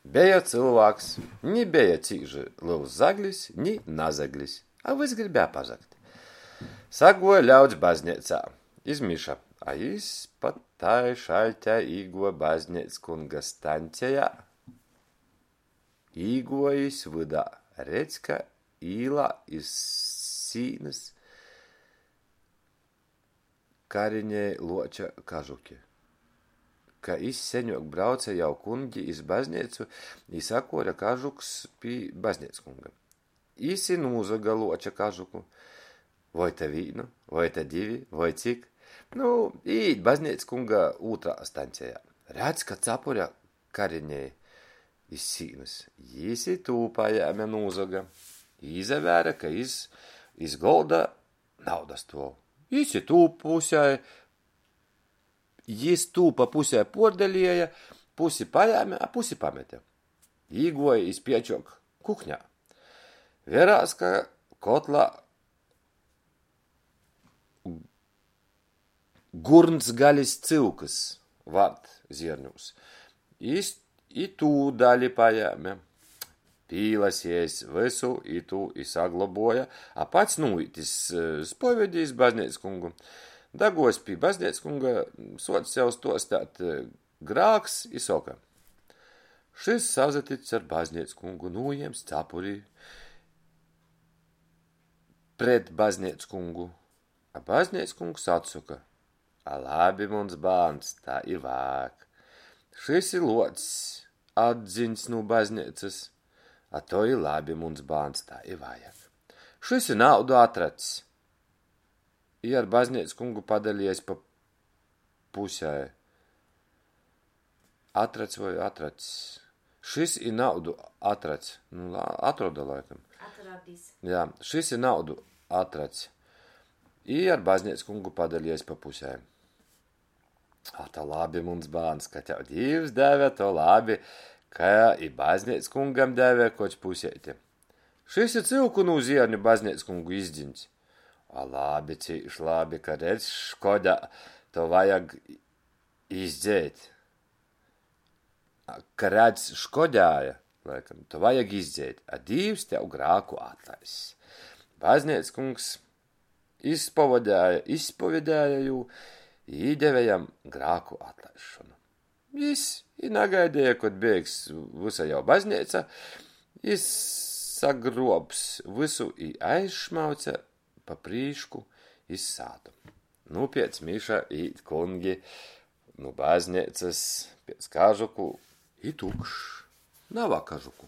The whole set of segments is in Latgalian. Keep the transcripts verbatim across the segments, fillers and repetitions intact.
Beja cylvāks, ni beja cīži lels zaglis, ni nazaglis, a vys gribēja pazagt. Saguoja ļauds bazneicā iz miša, a jis pa tai šaļtei īguoja bazneickunga staņcejā. Īguojs vydā, redz, ka īlā iz sīnys karinej luoča kažuki. Ka iz seņuok brauce jau kungi iz bazneicu i sakuore kažukus pi bazneickunga. Jis i nūzoga luoča kažuku. Voi ta vīnu, voi ta divi, voi cik. Nu, īīt bazneickunga ūtrā staņcejā. Redz, ka capure karinej iz sīnys. Jis i tū pajēme nūzoga. Īsavēre, ka iz, iz golda nauda stuov. Jis i tū pusei, jis tū pa pusei puordalieja, pusi pajēme, a pusi pamete. Īguoja jis piečuok kukņā. Verās, ka kotlā gurns galis cyukys vard zierņūs. Jis i tū dali pajēme. Pīlasiejs vysu itū i saglobuoja, a pats nūīt iz spovedi iz bazneickungu. Daguojs pi bazneickunga, suoc jau stuosteit grāks i soka: Šys sasatics ar bazneickungu, nūjiems capuri pret bazneickungu. A bazneickungs atsoka: A labi, muns bārns, tai i vajag. Šys i luocs atdziņs nu bazneicys. A to i labi, muns bārns, tai i vajag. Šys i naudu atrads. I ar bazneickungu padaliejs pa pusei. Atrads voi atracs? Šys i naudu atrads. Nu, atroda laikam. Atradis. Jā, šys i naudu atrads. I ar bazneickungu padaliejs pa pusei. A to labi, muns bārns, ka tev Dīvs deve, to labi, ka i bazneickungam deve koč puseiti. Šys i cyuku nu zierņu bazneickungu izdziņs. A labi, cīš labi, ka redz škodā, to vajag izdzeit. A, ka redz škodāja, laikam, to vajag izdzeit, a Dīvs tev grāku atlaiss. Bazneickungs izspovedēja, izspovedēja jū i īdeve jam grāku atlaisšonu. Jis i nagaideja, kod beigs vysa jau bazneica, jis sagruobs vysu i aizšmauce pa prīšku iz sātu. Nu, piec miša īt kungi nu bazneicys piec kažuku i tukšs. Nava kažuku.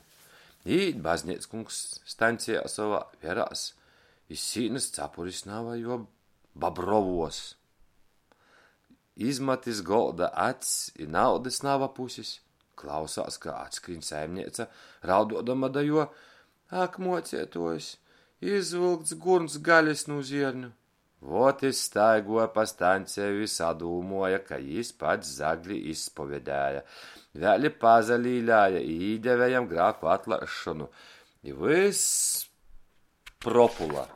Īt bazneickungs staņcejā sovā, verās, iz sīnys capuris nava, juo Bobrovuos. Izmat iz golda acs i naudys nava pusis. Klausās, ka atskrīn saimneica, rauduodama da juo: Ak, muocietuojs, izvylkts gurns galis nu zierņu. Vot jis staiguoja pa staņceju i sadūmuoja, ka jis pats zagli izspovedēja. Vēļ i pasalīlēja i īdeve jam grāku atlaisšonu. I vyss propula.